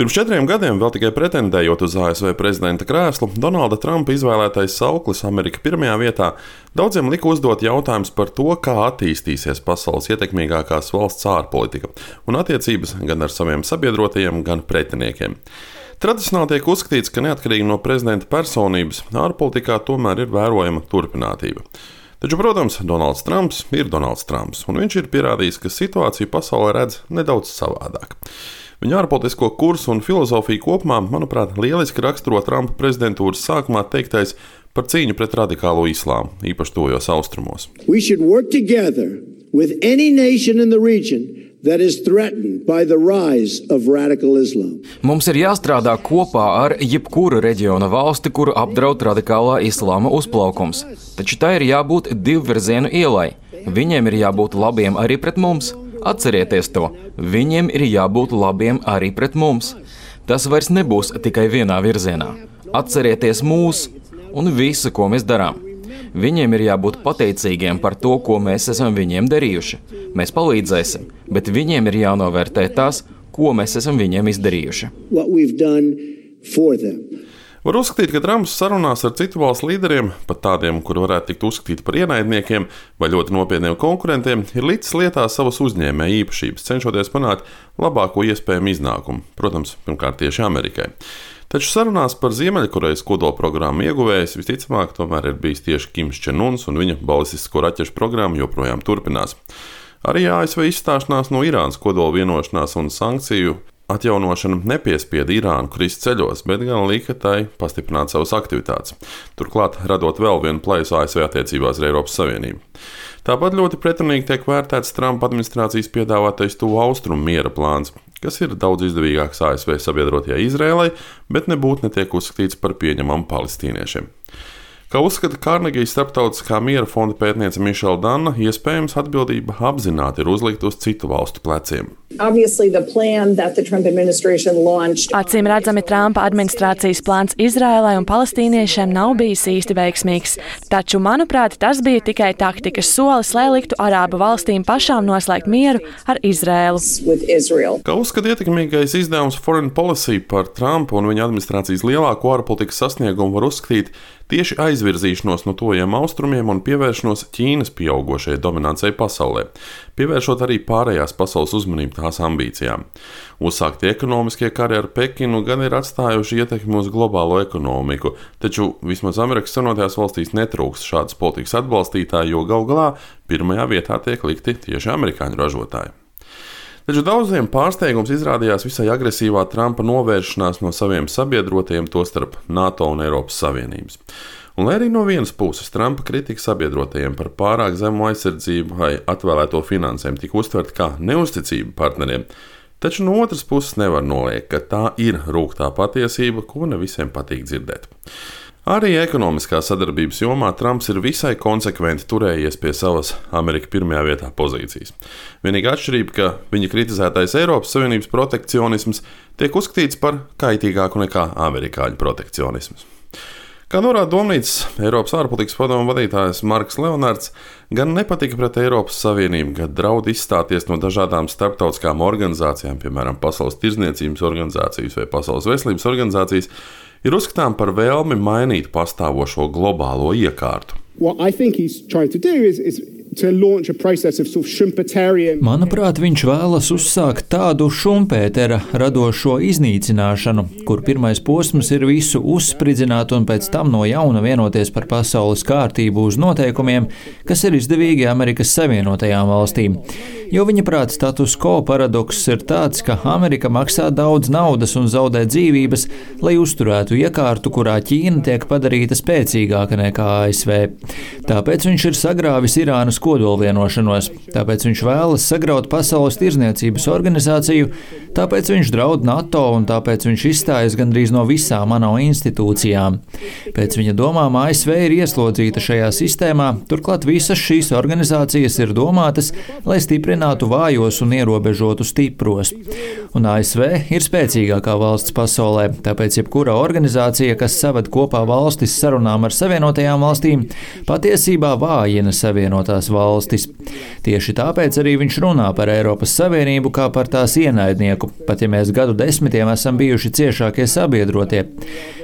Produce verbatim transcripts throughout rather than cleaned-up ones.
Pirms četriem gadiem, vēl tikai pretendējot uz A S V prezidenta krēslu, Donalda Trumpa izvēlētais sauklis Amerika pirmajā vietā daudziem lika uzdot jautājumus par to, kā attīstīsies pasaules ietekmīgākās valsts ārpolitika un attiecības gan ar saviem sabiedrotajiem, gan pretiniekiem. Tradicionāli tiek uzskatīts, ka neatkarīgi no prezidenta personības, ārpolitikā tomēr ir vērojama turpinātība. Taču, protams, Donalds Trumps ir Donalds Trumps, un viņš ir pierādījis, ka situāciju pasaulē redz nedaudz savādāk. Viņa ārpolitisko kursu un filozofiju kopumā, manuprāt, lieliski raksturo Trumpa prezidentūras sākumā teiktais par cīņu pret radikālo islāmu, īpaši tuvajos austrumos. We should work together with any nation in the region that is threatened by the rise of radical Islam. Mums ir jāstrādā kopā ar jebkuru reģiona valsti, kuru apdraud radikālā islāma uzplaukums. Taču tā ir jābūt divvirzienu ielai. Viņiem ir jābūt labiem arī pret mums. Atcerieties to, viņiem ir jābūt labiem arī pret mums. Tas vairs nebūs tikai vienā virzienā. Atcerieties mūs un visu, ko mēs darām. Viņiem ir jābūt pateicīgiem par to, ko mēs esam viņiem darījuši. Mēs palīdzēsim, bet viņiem ir jānovērtē tās, ko mēs esam viņiem izdarījuši. Var uzskatīt, ka Trumps sarunās ar citu valstu līderiem, pat tādiem, kuri varētu tikt uzskatīti par ienaidniekiem vai ļoti nopietniem konkurentiem, ir licis lietā savas uzņēmēja īpašības, cenšoties panākt labāko iespējamu iznākumu, protams, pirmkārt tieši Amerikai. Taču sarunās par Ziemeļkorejas kodolprogrammu ieguvējs visticamāk tomēr ir bijis tieši Kims Čen-uns, un viņa balistisko raķešu programma joprojām turpinās. Arī A S V izstāšanās no Irānas kodola vienošanās un sankciju atjaunošana nepiespieda Irānu krist ceļos, bet gan lika tai pastiprināt savas aktivitātes, turklāt radot vēl vienu plaisu A S V attiecībās ar Eiropas Savienību. Tāpat ļoti pretrunīgi tiek vērtēts Trumpa administrācijas piedāvātais tuvu austrumu miera plāns, kas ir daudz izdevīgāks A S V sabiedrotajai Izrēlai, bet nebūtu netiek uzskatīts par pieņemamu palestīniešiem. Kā uzskata Karnegijas starptautiskā miera fonda pētniece Mišela Danna, iespējams atbildība apzināti ir uzlikta uz citu valstu pleciem. Acīm redzami Trumpa administrācijas plāns Izrēlai un palestīniešiem nav bijis īsti veiksmīgs, taču, manuprāt, tas bija tikai taktikas solis, lai liktu arābu valstīm pašām noslēgt mieru ar Izrēlu. Kā uzskata ietekmīgais izdevums Foreign Policy par Trumpa un viņa administrācijas lielāko ārpolitikas sasniegumu var uzskatīt tieši aizvirzīšanos no tuvajiem austrumiem un pievēršanos Ķīnas pieaugošajai dominancei pasaulē, pievēršot arī pārējās pasaules uzmanību tās ambīcijām. Uzsāktie ekonomiskie kari ar Pekinu gan ir atstājuši ietekmi uz globālo ekonomiku, taču vismaz Amerikas Savienotajās valstīs netrūkst šādas politikas atbalstītāji, jo galu galā pirmajā vietā tiek likti tieši amerikāņu ražotāji. Taču daudziem pārsteigums izrādījās visai agresīvā Trumpa novēršanās no saviem sabiedrotiem, tostarp NATO un Eiropas Savienības. Un lai arī no vienas puses Trumpa kritika sabiedrotajiem par pārāk zemu aizsardzību vai atvēlēto finansēm tika uztverta kā neusticība partneriem, taču no otras puses nevar noliegt, ka tā ir rūgtā patiesība, ko ne visiem patīk dzirdēt. Arī ekonomiskā sadarbības jomā Trumps ir visai konsekventi turējies pie savas Amerika pirmajā vietā pozīcijas. Vienīgā atšķirība, ka viņa kritizētais Eiropas Savienības protekcionisms tiek uzskatīts par kaitīgāku nekā amerikāņu protekcionisms. Kā norāda Domnīcas Eiropas ārpolitikas padomu vadītājs Marks Leonards, gan nepatika pret Eiropas Savienību, kad draud izstāties no dažādām starptautiskām organizācijām, piemēram, Pasaules tirdzniecības organizācijas vai Pasaules veselības organizācijas, ir uzskatām par vēlmi mainīt pastāvošo globālo iekārtu. Manuprāt, viņš vēlas uzsākt tādu Šumpētera radošo iznīcināšanu, kur pirmais posms ir visu uzspridzināt un pēc tam no jauna vienoties par pasaules kārtību uz noteikumiem, kas ir izdevīgi Amerikas Savienotajām valstīm. Jo viņa prāt status quo paradoks ir tāds, ka Amerika maksā daudz naudas un zaudē dzīvības, lai uzturētu iekārtu, kurā Ķīna tiek padarīta spēcīgāka nekā A S V. Tāpēc viņš ir sagrāvis Irānas kodolvienošanos, tāpēc viņš vēlas sagraut Pasaules tirdzniecības organizāciju, tāpēc viņš draud NATO un tāpēc viņš izstājas gandrīz no visām ANO institūcijām. Pēc viņa domām A S V ir ieslodzīta šajā sistēmā, turklāt visas šīs organizācijas ir domātas, lai stiprinātu vājos un ierobežotu stipros. Un A S V ir spēcīgākā valsts pasaulē, tāpēc jebkura organizācija, kas saved kopā valstis sarunām ar Savienotajām valstīm, patiesībā vājina Savienotās valstis. Tieši tāpēc arī viņš runā par Eiropas Savienību kā par tās ienaidnieku, pat ja mēs gadu desmitiem esam bijuši ciešākie sabiedrotie.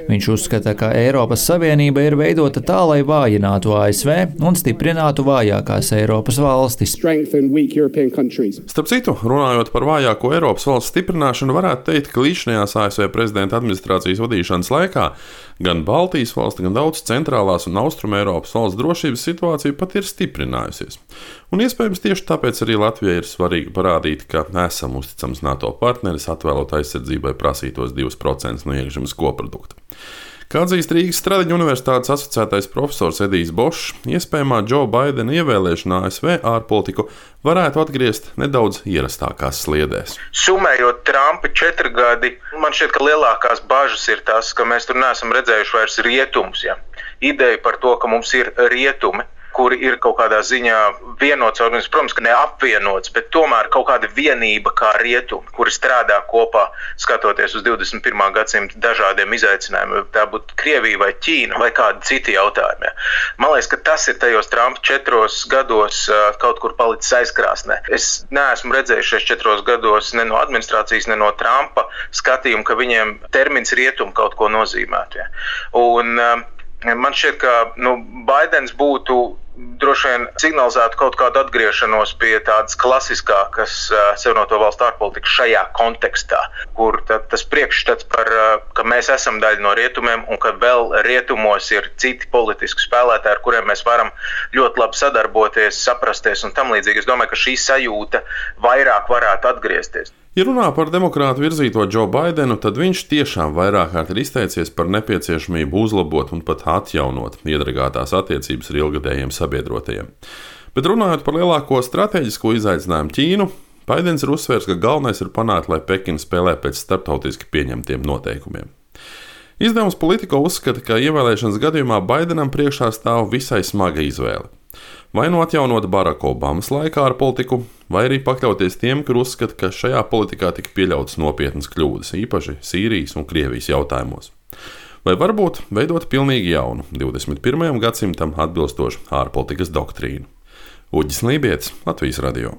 Viņš uzskata, ka Eiropas Savienība ir veidota tā, lai vājinātu A S V un stiprinātu vājākās Eiropas valstis. Starp citu, runājot par vājāko Eiropas valsts stiprināšanu, varētu teikt, ka līdzinājās A S V prezidenta administrācijas vadīšanas laikā gan Baltijas valsts, gan daudz centrālās un austruma Eiropas valsts drošības situācija pat ir stiprinājusies. Un iespējams tieši tāpēc arī Latvijai ir svarīgi parādīt, ka esam uzticams NATO partneris, atvēlot aizsardzībai prasītos divus procentus no iekšzemes koprodukta. Kā atzīst Rīgas Stradiņu universitātes asociētais profesors Edijs Bošs, iespējamā Džo Baidena ievēlēšana A S V ārpolitiku varētu atgriezt nedaudz ierastākās sliedēs. Sumējot Trumpa četri gadi, man šķiet, ka lielākās bažas ir tas, ka mēs tur neesam redzējuši vairs rietumus. Ja? Ideja par to, ka mums ir rietumi, kuri ir kaut kādā ziņā vienots, protams, ka neapvienots, bet tomēr kaut kāda vienība kā rietumi, kuri strādā kopā, skatoties uz divdesmit pirmā gadsimta dažādiem izaicinājumiem, tā būtu Krievija vai Ķīna vai kādi citi jautājumi. Man liekas, ka tas ir tajos Trumpa četros gados kaut kur palicis aizkrāsnē. Es neesmu redzējis šajos četros gados ne no administrācijas, ne no Trumpa skatījumu, ka viņiem termins rietumi kaut ko nozīmētu. Ja. Un man šķiet, ka nu, Baidens būtu droši vien signalizētu kaut kādu atgriešanos pie tādas klasiskākas uh, savienoto valstu ārpolitikas šajā kontekstā, kur tad, tas priekšstats par, uh, ka mēs esam daļa no rietumiem un ka vēl rietumos ir citi politiski spēlētāji, ar kuriem mēs varam ļoti labi sadarboties, saprasties un tam līdzīgi. Es domāju, ka šī sajūta vairāk varētu atgriezties. Ja runā par demokrātu virzīto Džo Baidenu, tad viņš tiešām vairāk kārt ir izteicies par nepieciešamību uzlabot un pat atjaunot iedragātās attiecības ar ilgadējiem sabiedrotajiem. Bet runājot par lielāko stratēģisko izaicinājumu Ķīnu, Baidens ir uzsvērs, ka galvenais ir panākt, lai Pekina spēlē pēc starptautiski pieņemtiem noteikumiem. Izdevums Politico uzskata, ka ievēlēšanas gadījumā Baidenam priekšā stāv visai smaga izvēle. Vai nu atjaunot Baraka Obamas laikā ar politiku, vai arī pakļauties tiem, kur uzskata, ka šajā politikā tika pieļautas nopietnas kļūdas, īpaši Sīrijas un Krievijas jautājumos. Vai varbūt veidot pilnīgi jaunu, divdesmit pirmajam gadsimtam atbilstošu ārpolitikas doktrīnu. Uģis Lībietis, Latvijas radio.